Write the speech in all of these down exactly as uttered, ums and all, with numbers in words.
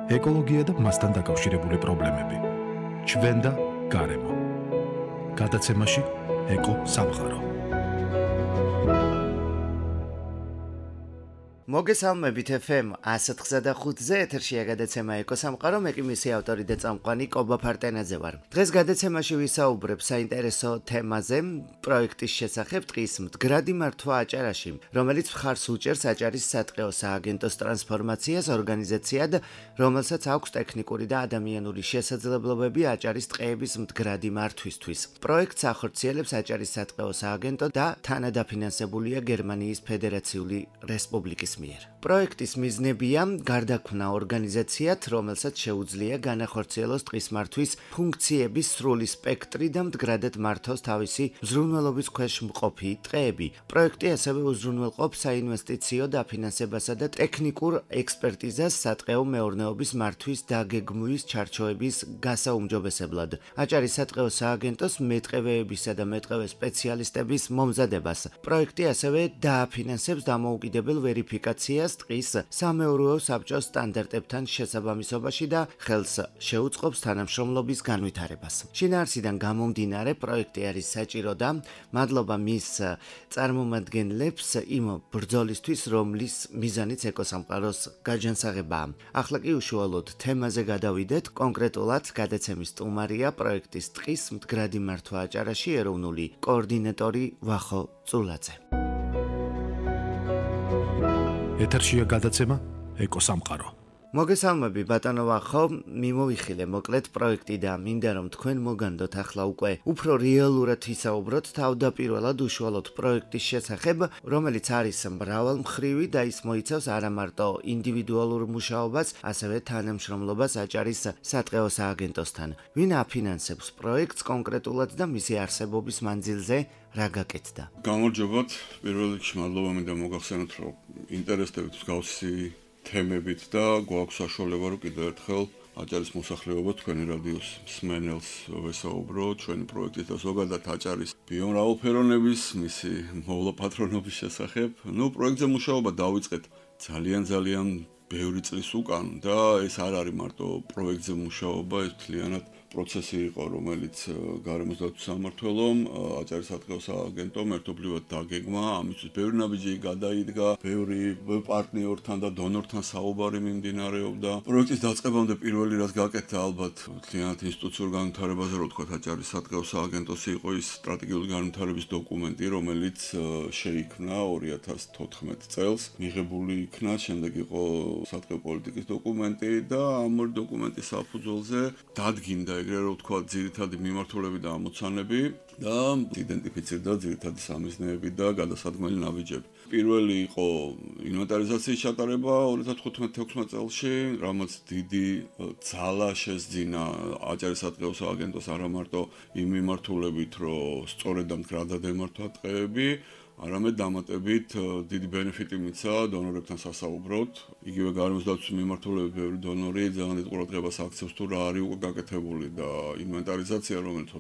ეკოლოგია და მასთან დაკავშირებული პრობლემები. ჩვენ და გარემო. გადაცემაში ეკო სამყარო. მოგესალმებით ეფ ემ one oh five point five-ზე ეთერშია გადაცემა ეკო სამყარო, მე კი მისი ავტორი და წამყვანი კობა ფარტენაძე ვარ. დღეს გადაცემაში ვისაუბრებ საინტერესო თემაზე, პროექტის შესახებ, ტყის მდგრადი მართვა აჭარაში, რომელიც მხარს უჭერს აჭარის სატყეო სააგენტოს ტრანსფორმაციას ორგანიზაციად, რომელსაც აქვს ტექნიკური და ადამიანური შესაძლებლობები აჭარის ტყეების მდგრადი მართვისთვის. პროექტს ახორციელებს აჭარის სატყეო სააგენტო და თანადაფინანსებულია გერმანიის ფედერაციული რესპუბლიკის მიერ. პროექტის მიზნებია გარდაქმნა ორგანიზაციად, რომელსაც შეუძლია განახორციელოს ტყის მართვის ფუნქციების სრული სპექტრი და მდგრადად მართოს თავისი მზრუნველობის ქვეშ მყოფი ტყეები. პროექტი ასევე უზრუნველყოფს საინვესტიციო დაფინანსებასა და ტექნიკურ ექსპერტიზას სატყეო მეურნეობის მართვის დაგეგმვის ჩარჩოების გასაუმჯობესებლად. აჭარის სატყეო სააგენტოს მეტყევეებისა და მეტყევე სპეციალისტების მომზადებას. პროექტი ასევე დააფინანსებს დამოუკიდებელ ვერიფიკაციას ტყის სამეურვეო საბჭოს სტანდარტებთან შესაბამისობაში და ხელს შეუწყობს თანამშრომლობის განვითარებას. შინაარსიდან გამომდინარე, პროექტი არის საჭირო და მადლობა მის წარმომადგენლებს იმ ბრძოლისთვის, რომლის მიზანიც ეკოსამყაროს გაჯანსაღებაა. ახლა კი უშუალოდ თემაზე გადავიდეთ. კონკრეტულად გადაცემის სტუმარია პროექტის ტყის მდგრადი მართვა აჭარაში ეროვნული კოორდინატორი ვახო წულაძე. ეთერშია გადაცემა ეკო სამყარო. მოგესალმები ბატონო ვახო, მიმოვიხილე მოკლედ პროექტი და მინდა რომ თქვენ მოგანდოთ ახლა უკვე უფრო რეალურად ვისაუბროთ თავდაპირველად უშუალოდ პროექტის შესახებ, რომელიც არის მრავალმხრივი და ის მოიცავს არა მარტო ინდივიდუალურ მუშაობას, ასევე თანამშრომლობას აჭარის სატყეო სააგენტოსთან. ვინ აფინანსებს პროექტს კონკრეტულად და მისი არსებობის მანძილზე რა გაკეთდა? გამარჯობათ, პირველ რიგში მადლობა მინდა მოგახსენოთ, რომ ინტერესდებით მსგავსი თემებით და გვაქვს საშუალება, რომ კიდევ ერთხელ აჭარის მოსახლეობა თქვენი რადიოს მსმენელს ვესაუბრო ჩვენი პროექტის და ზოგადად აჭარის ბიომრავალფეროვნების, მისი მოვლაპატრონობის შესახებ. ნუ პროექტზე მუშაობა დავიწყეთ ძალიან ძალიან ბევრი წლის უკან და ეს არ არის მარტო პროექტზე მუშაობა, ეს მთლიანად პროცესი იყო, რომელიც გარემოს დაცვის სამმართველომ, აჭარის სატყეო სააგენტომ ერთობლივად დაგეგმა, ამისთვის ბევრი ნაბიჯი გადაიდგა, ბევრი პარტნიორთან და დონორთან საუბარი მიმდინარეობდა. პროექტის დაწყებამდე პირველი რაც გაკეთდა, ალბათ მთლიანად ინსტიტუციურ განვითარებაზე, რო ვთქვათ, აჭარის სატყეო სააგენტოს იყო ის სტრატეგიული განვითარების დოკუმენტი, რომელიც შეიქმნა ორი ათას თოთხმეტ წელს, მიღებული იქნა, შემდეგ იყო სატყეო პოლიტიკის დოკუმენტი და ამ ორი დოკუმენტის საფუძველზე დადგინდა ეგრე რომ ვთქვა ძირითადი მიმართულები და ამოცანები და იდენტიფიცირდა ძირითადი სამიზნეები და გადასადგმელი ნაბიჯები. პირველი იყო ინვენტარიზაციის ჩატარება ორი ათას თხუთმეტ თექვსმეტ წელში, რამაც დიდი ძალა შესძინა აჭარის სატყეო სააგენტოს არა მარტო იმ მიმართულებით, რომ სწორედ და მდგრადად ემართვა ტყეები, არამედ დამატებით დიდი ბენეფიტი მიცა დონორებთან სასაუბროთ. იგივე გარემოს დაცვის მიმართულებით ბევრი დონორი ძალიან დიდ ყურადღებას აქცევს თუ რა არის უკვე გაკეთებული და ინვენტარიზაცია, რომელიც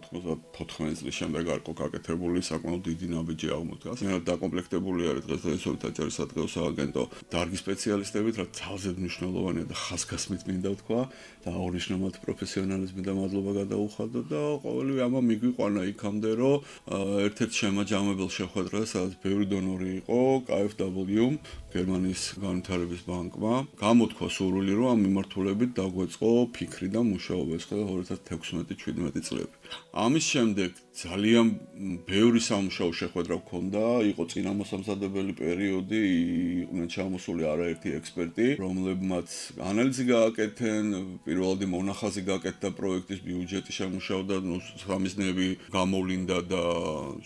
თოთხმეტ წლის შემდეგ არ იყო გაკეთებული, საკმაოდ დიდი ნაბიჯი აღმოდგას. მე დაკომპლექტებული არის დღესდღეობით აჭარის სატყეო სააგენტო დარგის სპეციალისტებით, რაც ძალზედ მნიშვნელოვანია და ხაზგასმით მინდა ვთქვა და აღნიშნულად პროფესიონალიზმი და მადლობა გადაუხადო და ყოველივე ამა მიგვიყვანა იქამდე, რომ ერთ-ერთ შემაჯამებელ შეხვედრას ბევრი დონორი იყო კა ეფ დაბლიუ გერმანიის განვითარების ბანკმა. გამოთქვა სურვილი, რომ ამ მიმართულებით დაგვეწყო ფიქრი და მუშაობა ეს ხდება ორი ათას თექვსმეტ შვიდმეტი წლები. ამის შემდეგ ძალიან ბევრი სამუშაო შეხვედრა გქონდა, იყო წინამოსამზადებელი პერიოდი, იყვნენ ჩამოსული არაერთი ექსპერტი, რომლებმაც ანალიზი გააკეთენ, პირველადი მონახაზი გააკეთა პროექტის ბიუჯეტი შემუშავდა, ნუ სამიზნეები გამოვლინდა და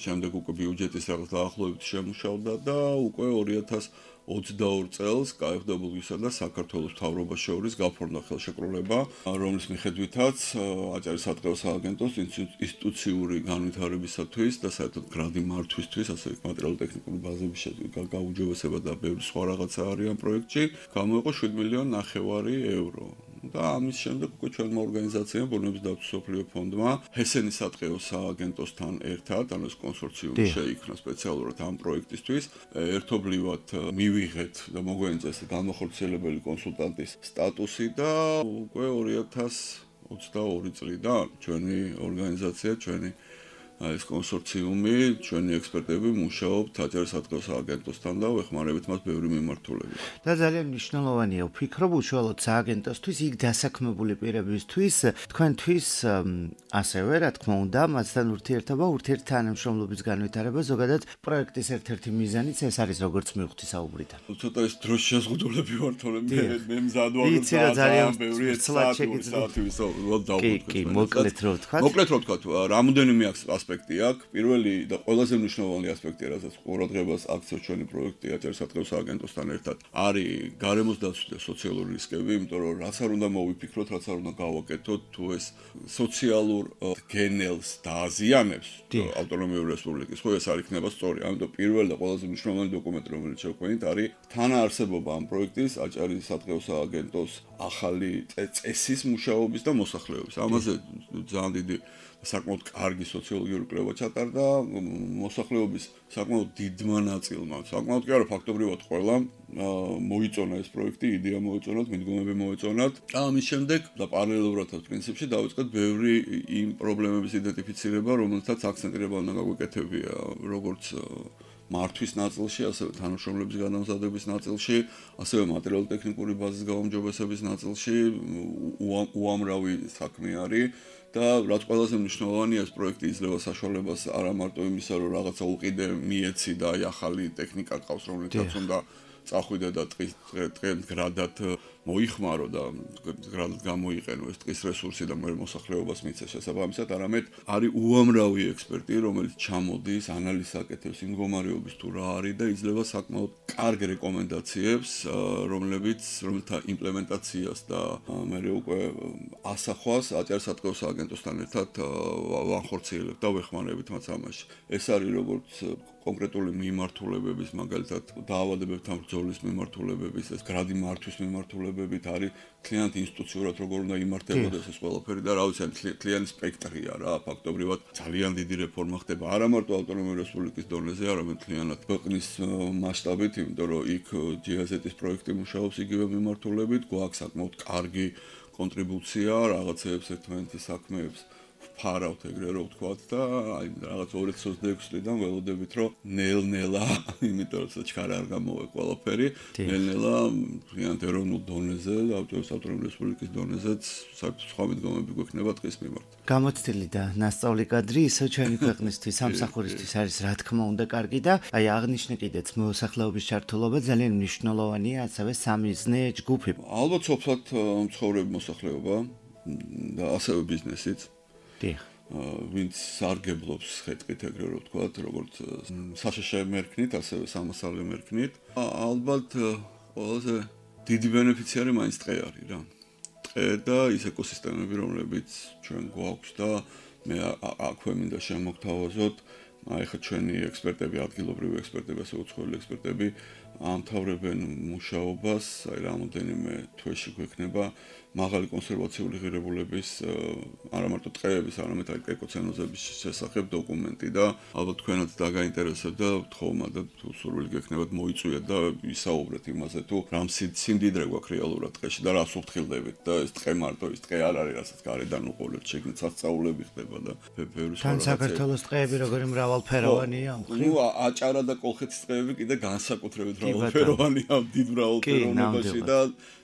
შემდეგ უკვე ბიუჯეტის რაღაც დაახლოებით შემუშავდა და უკვე ორი ათას ოცდაორ წელს კა ეფ დაბლიუ-სა და საქართველოს მთავრობას შორის გაფორმდა ხელშეკრულება, რომლის მიხედვითაც აჭარის სატყეო სააგენტოს ინსტიტუციური განვითარებისათვის და საერთოდ მდგრადი მართვისთვის, ასე მატერიალურ-ტექნიკური ბაზების გაუმჯობესება და ბევრი სხვა რაღაცა არის ამ პროექტში, გამოიყო შვიდ მილიონი ნახევარი ევრო. და ამის შემდეგ უკვე ჩვენმა ორგანიზაციამ ბუნების დაცვის მსოფლიო ფონდმა ჰესენის სატყეო სააგენტოსთან ერთად, ანუ ეს კონსორციუმი შეიქმნა სპეციალურად ამ პროექტისთვის, ერთობლივად მივიღეთ და მოგვენიჭეს განმახორციელებელი კონსულტანტის სტატუსი და უკვე ორი ათას ოცდაორი წლიდან ჩვენი ორგანიზაცია, ჩვენი ეს კონსორციუმი, ჩვენი ექსპერტები მუშაობთ აჭარისატყეო სააგენტოსთან და ვეხმარებით მას ბევრი მიმართულებით. და ძალიან მნიშვნელოვანია ვფიქრობ უშუალოდ სააგენტოსთვის, იქ დასაქმებული პირებისთვის, თქვენთვის ასევე, რა თქმა უნდა, მასთან ურთიერთობა, ურთიერთთანამშრომლობის განვითარება, ზოგადად პროექტის ერთ-ერთი მიზანიც ეს არის, როგორც მივხვდი საუბრიდან. ცოტა ეს დროშ შეზღუდულები ვარ, თორემ მე მე მზადვარ ძალიან ბევრი საათი დავუკვირდა. კი, კი, მოკლედ რო ვთქვა. მოკლედ რო ვთქვა, რამოდენიმე ასპექტი აქვს. პირველი და ყველაზე მნიშვნელოვანი ასპექტი, რასაც ყურადღებას აქცევს ჩვენი პროექტი აჭარისატყეო სააგენტოსთან ერთად, არის გარემოს დაცვა და სოციალური რისკები, იმიტომ რომ რაც არ უნდა მოვიფიქროთ, რაც არ უნდა გავაკეთოთ, თუ ეს სოციალურ გენელს დააზიანებს ავტონომიური რესპუბლიკის, ხო ეს არ იქნება სწორი. ამიტომ პირველი და ყველაზე მნიშვნელოვანი დოკუმენტი, რომელიც შევქმნით, არის თანაარსებობა ამ პროექტის აჭარისატყეო სააგენტოს ახალი წესის მუშაობის და მოსახლეობის. ამაზე ძალიან დიდი საკმაოდ კარგი სოციოლოგიური კვლევა ჩატარდა მოსახლეობის საკმაოდ დიდმა ნაწილმა. საკმაოდ კი არა, ფაქტობრივად ყველამ მოიწონა ეს პროექტი, იდეა მოიწონათ, მიდგომები მოეწონათ. და ამის შემდეგ და პარალელურად პრინციპში დავიწყეთ ბევრი იმ პრობლემების იდენტიფიცირება, რომელთაც აქცენტირება უნდა გაგვეკეთებია, როგორც მართვის ნაწილში, ასევე თანამშრომლების განამზადების ნაწილში, ასევე მატერიალურ-ტექნიკური ბაზის გაუმჯობესების ნაწილში უამრავი საქმე არის. და რაც ყველაზე მნიშვნელოვანია, ეს პროექტი იძლევა საშუალებას არა მარტო იმისა, რომ რაღაცა უყიდე მიეცი და აი ახალი ტექნიკა ყავს, რომელთაც უნდა წახვიდე და ტყის გრადად მოიხმარო და გრადად გამოიყენო ეს ტყის რესურსი და მე მოსახლეობას მიცეს შესაბამისად, არამედ არის უამრავი ექსპერტი, რომელიც ჩამოდის, ანალიზს აკეთებს იმ მდგომარეობის თუ რა არის და იძლევა საკმაოდ კარგ რეკომენდაციებს, რომლებიც რომელთა იმპლემენტაციას და მე უკვე ასახვას აჭარისატყეო სააგენტოსთან ერთად ვახორციელებთ და ვეხმარებით მათ ამაში. ეს არის როგორც კონკრეტული მიმართულებების, მაგალითად, დაავადებებთან ბრძოლის მიმართულებების, ეს გრადი მართვის მიმართულებებით არის კლient ინსტიტუციურად როგორ უნდა იმართებოდეს ეს ყველაფერი და რა ვიცი, კლient სპექტრია რა, ფაქტობრივად ძალიან დიდი რეფორმა ხდება არა მარტო ავტონომიური რესპუბლიკის დონეზე, არამედ კლient ქვეყნის მასშტაბით, იმიტომ რომ იქ ჯი ეზ ეტ-ის პროექტი მუშაობს იგივე მიმართულებით, გვაქვს საკმაოდ კარგი კონტრიბუცია რაღაცეებს ერთმანეთის საქმეებს ფარავთ ეგრე რო ვთქვათ და აი რაღაც ორი ათას ოცდაექვსი წლიდან ველოდებით რომ ნელ-ნელა, იმიტომ რომ ჩქარა არ გამოვა ყველაფერი, ნელ-ნელა ძალიან ეროვნულ დონეზე და ავტონომიური რესპუბლიკის დონეზეც სხვა მიდგომები გვექნება ტყის მიმართ. გამოცდილი და ნასწავლი კადრი ისო ჩვენი ქვეყნისთვის, სამსახურისთვის არის რა თქმა უნდა კარგი და აი აღნიშნე კიდეც მოსახლეობის ჩართულობა ძალიან მნიშვნელოვანია, ასევე სამიზნე ჯგუფი. ალბათ სოფლად მცხოვრები მოსახლეობა და ასევე ბიზნესიც. ვინც სარგებლობს ხეთყით ეგრე რო ვთქვათ, როგორც საშეშე მერქნით, ასევე სამოსავლე მერქნით. ალბათ ყველაზე დიდი ბენეფიციარი მაინც ტყე არის რა. ტყე და ის ეკოსისტემები, რომლებიც ჩვენ გვაქვს და მე აქვე მინდა შემოგთავაზოთ, აი ხა ჩვენი ექსპერტები, ადგილობრივი ექსპერტები, ასე უცხოელი ექსპერტები ამთავრებენ მუშაობას, აი რამოდენიმე თვეში გვექნება მაღალი კონსერვაციული ღირებულების არა მარტო ტყეების, არამედ აი ეკოცენოზების შესახებ დოკუმენტი და ალბათ თქვენაც დაგაინტერესებთ და თხოვმა და თუ სურვილი გექნებათ მოიწვიეთ და ისაუბრეთ იმაზე თუ რამ სიმდიდრე გვაქვს რეალურად ტყეში და რას უფრთხილდებით და ეს ტყე მარტო ის ტყე არ არის, რასაც გარედან უყოლეთ, შეგნით სასწაულები ხდება და ბევრი სხვა. თან საქართველოს ტყეები როგორი მრავალფეროვანია? ნუ აჭარა და კოლხეთის ტყეები კიდე განსაკუთრებით მრავალფეროვანია ამ დიდ მრავალფეროვნებაში და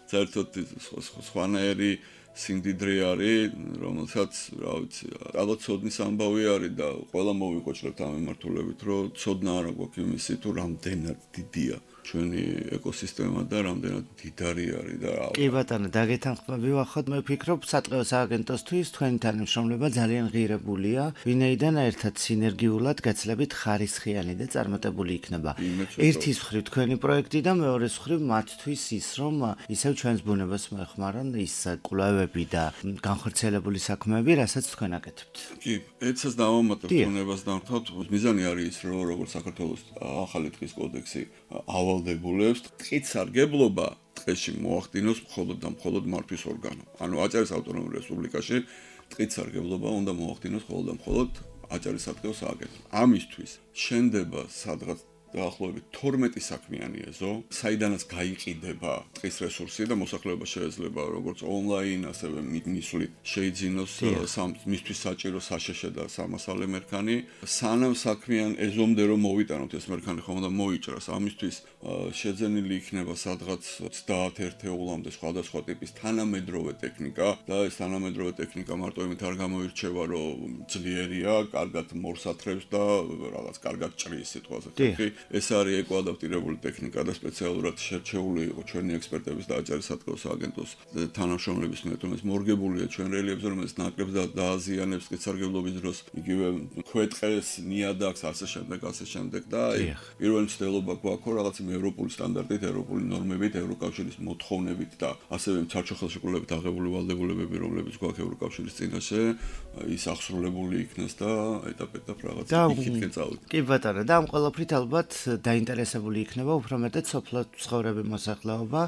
საერთოდ სხვანაირი სიმდიდრე არის, რომელსაც, რა ვიცი, ალბათ ცოდნის ამბავი არის და ყველა მოვიკოჭრებთ ამ მიმართულებით, რომ ცოდნა არა გვაქვს იმისი თუ რამდენად დიდია ჩვენი ეკოსისტემა და რამდენად დიდარი არის და რა. კი ბატონო, დაგეთანხმები ვახოთ, მე ვფიქრობ, სატყეო სააგენტოსთვის თქვენი თანამშრომლობა ძალიან ღირებულია, ვინაიდან ერთად სინერგიულად გაცლებით ხარისხიანი და წარმატებული იქნება. ერთის მხრივ თქვენი პროექტი და მეორეს მხრივ მათთვის ის, რომ ისევ ჩვენს ბუნებას მოეხმარონ ის კვლევები და განხორციელებული საქმეები, რასაც თქვენ აკეთებთ. კი, ეცას დავამატებ ბუნებას დამთავრდით. მიზანი არის ის, რომ როგორც საქართველოს ახალი ტყის კოდექსი ავალდებულებს, ტყით სარგებლობა, ტყეში მოახდინოს მხოლოდ და მხოლოდ მართვის ორგანო. ანუ აჭარის ავტონომურ რესპუბლიკაში ტყით სარგებლობა უნდა მოახდინოს მხოლოდ და მხოლოდ აჭარის სატყეო სააგენტო. ამისთვის შენდება სადღაც დაახლოებით თორმეტი საქმიანი ეზო, საიდანაც გაიყიდება ტყის რესურსი და მოსახლეობა შეიძლება როგორც ონლაინ, ასევე მისვლით შეიძინოს მისთვის საჭირო საშეშე და სამასალე მერქანი. სანამ საქმიან ეზომდე რომ მოვიტანოთ ეს მერქანი ხომ და მოიჭრას, ამისთვის შეძენილი იქნება სადღაც ოცდაათ ერთეულამდე სხვადასხვა ტიპის თანამედროვე ტექნიკა და ეს თანამედროვე ტექნიკა მარტო იმით არ გამოირჩევა, რომ ძლიერია, კარგად მორსათრებს და რაღაც კარგად ჭრის სიტყვაზე. ეს არის ეკოადაპტირებული ტექნიკა და სპეციალურად შერჩეული იყო ჩვენი ექსპერტების და აჭარის სატყეო სააგენტოს თანამშრომლების მიერ, რომელიც მორგებულია ჩვენ რელიეფზე, რომელიც ნაკრებს და დააზიანებს ტყით სარგებლობის დროს, იგივე ქვეტყეს, ნიადაგს, ასე შემდეგ, ასე შემდეგ და პირველი მცდელობა გვაქვს რაღაც ევროპული სტანდარტით, ევროპული ნორმებით, ევროკავშირის მოთხოვნებით და ასევე საერთო ხელშეკრულებით აღებული ვალდებულებები, რომლებიც გვაქვს ევროკავშირის წინაშე, ის აღსრულებული იქნეს და ეტაპ-ეტაპ რაღაც იქითკენ წავიდეთ. კი ბატონო, და ამ ყველაფრით ალბათ დაინტერესებული იქნება უფრო მეტად სოფლო ცხოვრების მოსახლეობა,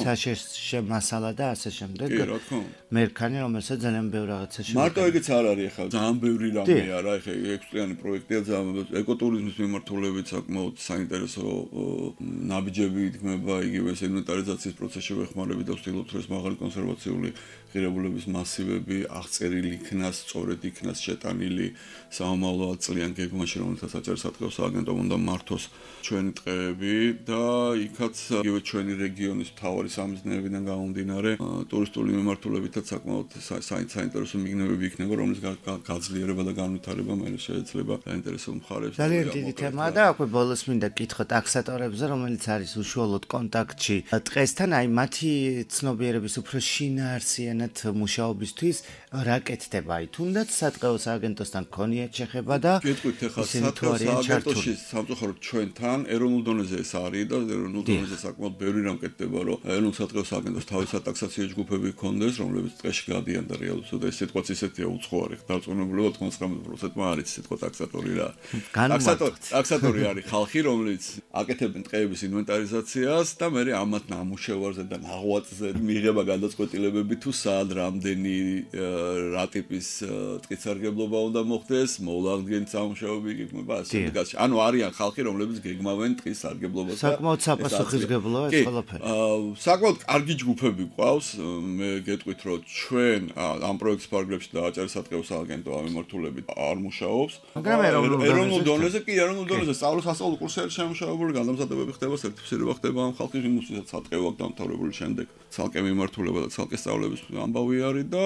საშეშე მასალა და ასე შემდეგ. კი, რა თქმა უნდა. მერქანი, რომელსაც ძალიან ბევრი რაღაცა შეგვიძლია. მარტო ეგეც არ არის ახლა, ძალიან ბევრი რამე არა, ახლა ექვსწლიანი პროექტია, ძალიან ეკოტურიზმის მიმართულებით საკმაოდ საინტერესო ნაბიჯები იქმნება, იგივე ინვენტარიზაციის პროცესში ვეხმარებით და ვცდილობთ, რომ ეს მაღალი კონსერვაციული ღირებულების მასივები აღწერილი იქნას, სწორედ იქნას შეტანილი სამომავლო წლიან გეგმაში, რომელსაც აჭარის სატყეო სააგენტომ უნდა მართოს ჩვენი ტყეები და იქაც იგივე ჩვენი რეგიონის მთავარი სამიზნეებიდან გამომდინარე ტურისტული მიმართულებითაც საკმაოდ საინტერესო მიგნებები იქნება, რომლის გაძლიერება და განვითარება მე შეიძლება დაინტერესო მხარებს. ძალიან დიდი თემაა და აქვე ბოლოს მინდა გითხო ტაქსატორებზე, რომელიც არის უშუალოდ კონტაქტში ტყესთან, აი მათი ცნობიერების უფრო შინაარსიანად მუშაობისთვის რა კეთდება? აი თუნდაც სატყეო სააგენტოსთან ქონიათ შეხება და გეტყვით ახლა სატყეო სააგენტოში სამწუხაროდ ჩვენთან ეროვნულ დონეზე ეს არის და ეროვნულ დონეზე საკმაოდ ბევრი რამ კეთდება, რომ ეროვნულ სატყეო სააგენტოს თავის სატაქსაციო ჯგუფები ჰქონდეს, რომლებიც ტყეში გადიან და რეალურად და ეს სიტყვაც ისეთია უცხოარი, დარწმუნებულად ოცდათხმეტ პროცენტმა არის სიტყვა ტაქსატორი რა. ტაქსატორი, ტაქსატორი არის ხალხი, რომლის აკეთებენ ტყეების ინვენტარიზაციას და მე ამათ ნამუშევარზე და ნაღვაწზე მიიღება გადაწყვეტილებები თუ სად რამდენი რა ტიპის ტყით სარგებლობა უნდა მოხდეს, მოულაღდგენთ სამუშაოები იქნება ასე გასა. ანუ არიან ხალხი, რომლებიც გეგმავენ ტყის სარგებლობას. საკმაოდ საპასუხისმგებლოა ეს ყველაფერი. საკმაოდ კარგი ჯგუფები გვყავს. მე გეტყვით, რომ ჩვენ ამ პროექტის პარაგრაფში და აჭარის სატყეო სააგენტო ამ მიმართულებით არ მუშაობს. მაგრამ ეროვნულ დონეზე კი ეროვნულ დონეზე სწავლის სასწავლო კურსები შემუშავებული განმზადებები ხდება, სერტიფიცირება ხდება ამ ხალხის იმუსაც სატყეო აქ დამთავრებული შემდეგ. ცალკე მიმართულება და ცალკე სწავლების ამბავი არის და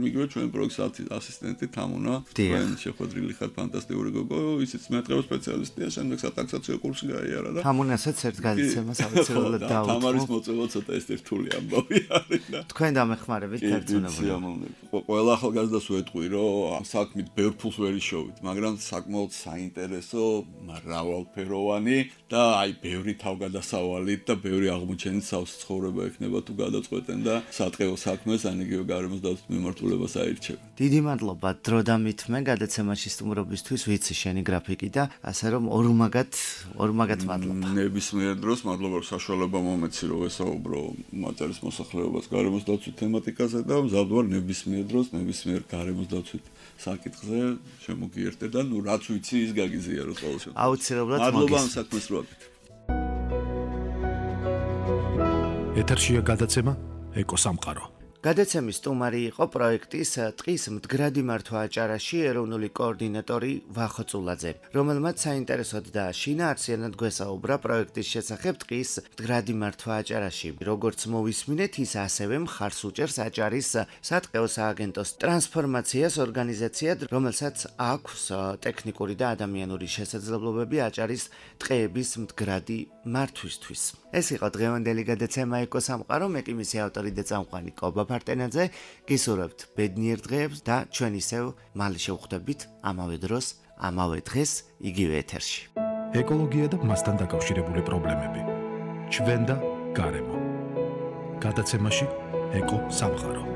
იგივე ჩვენ პროექტის ასისტენტი თამუნა, ჩვენ შეხვედრილი ხარ ფანტასტიკური გოგო, ისიც მეტყეო სპეციალისტია, შემდეგ სატაქსაციო კურსი გაიარა და თამუნასაც ერთ გადაცემას ავეცილებლად დავუწყო. თამარის მოწვევა ცოტა ეს რთული ამბავი არის და თქვენ დამეხმარებით ერთმანეთს. ყველა ახალგაზრდას ვეტყვი, რომ საქმით ბევრ ფულს ვერ იშოვით, მაგრამ საკმაოდ საინტერესო, მრავალფეროვანი და აი ბევრი თავგადასავალით და ბევრი აღმოჩენით სავს ცხოვრება ექნება თუ გადაწყვეტენ და სატყეო საქმეს ან იგივე გარემოს დაცვის მიმართულებას აირჩევენ. დიდი მადლობა დრო და მითმე გადაცემაში სტუმრობისთვის, ვიცი შენი გრაფიკი და ასე რომ ორმაგად ორმაგად მადლობა. ნებისმიერ დროს მადლობა რომ საშუალება მომეცი რომ ვესაუბრო აჭარის მოსახლეობას გარემოს დაცვის თემატიკაზე და მზადვარ ნებისმიერ დროს ნებისმიერ გარემოს დაცვის საკითხზე შემოგიერთე და ნუ რაც ვიცი ის გაგიზიაროთ ყოველ შემთხვევაში. აუცილებლად მადლობა ამ საქმეს რო აკეთებ. ეთერშია გადაცემა ეკოსამყარო. გადაცემის სტუმარი იყო პროექტის ტყის მდგრადი მართვა აჭარაში ეროვნული კოორდინატორი ვახო წულაძე, რომელმაც საინტერესოდ და შინაარსიანად გვესაუბრა პროექტის შესახებ ტყის მდგრადი მართვა აჭარაში. როგორც მოვისმინეთ, ის ასევე მხარს უჭერს აჭარის სატყეო სააგენტოს ტრანსფორმაციას ორგანიზაციად, რომელსაც აქვს ტექნიკური და ადამიანური შესაძლებლობები აჭარის ტყეების მდგრადი მართვისთვის. ეს იყო დღევანდელი გადაცემა ეკოსამყარო, მე კი მისი ავტორი და წამყვანი კობა ფარტენაძე, გისურვებთ ბედნიერ დღეებს და ჩვენ ისევ მალე შევხვდებით ამავე დროს, ამავე დღეს, იგივე ეთერში. ეკოლოგია და მასთან დაკავშირებული პრობლემები. ჩვენ და გარემო. გადაცემაში ეკო სამყარო.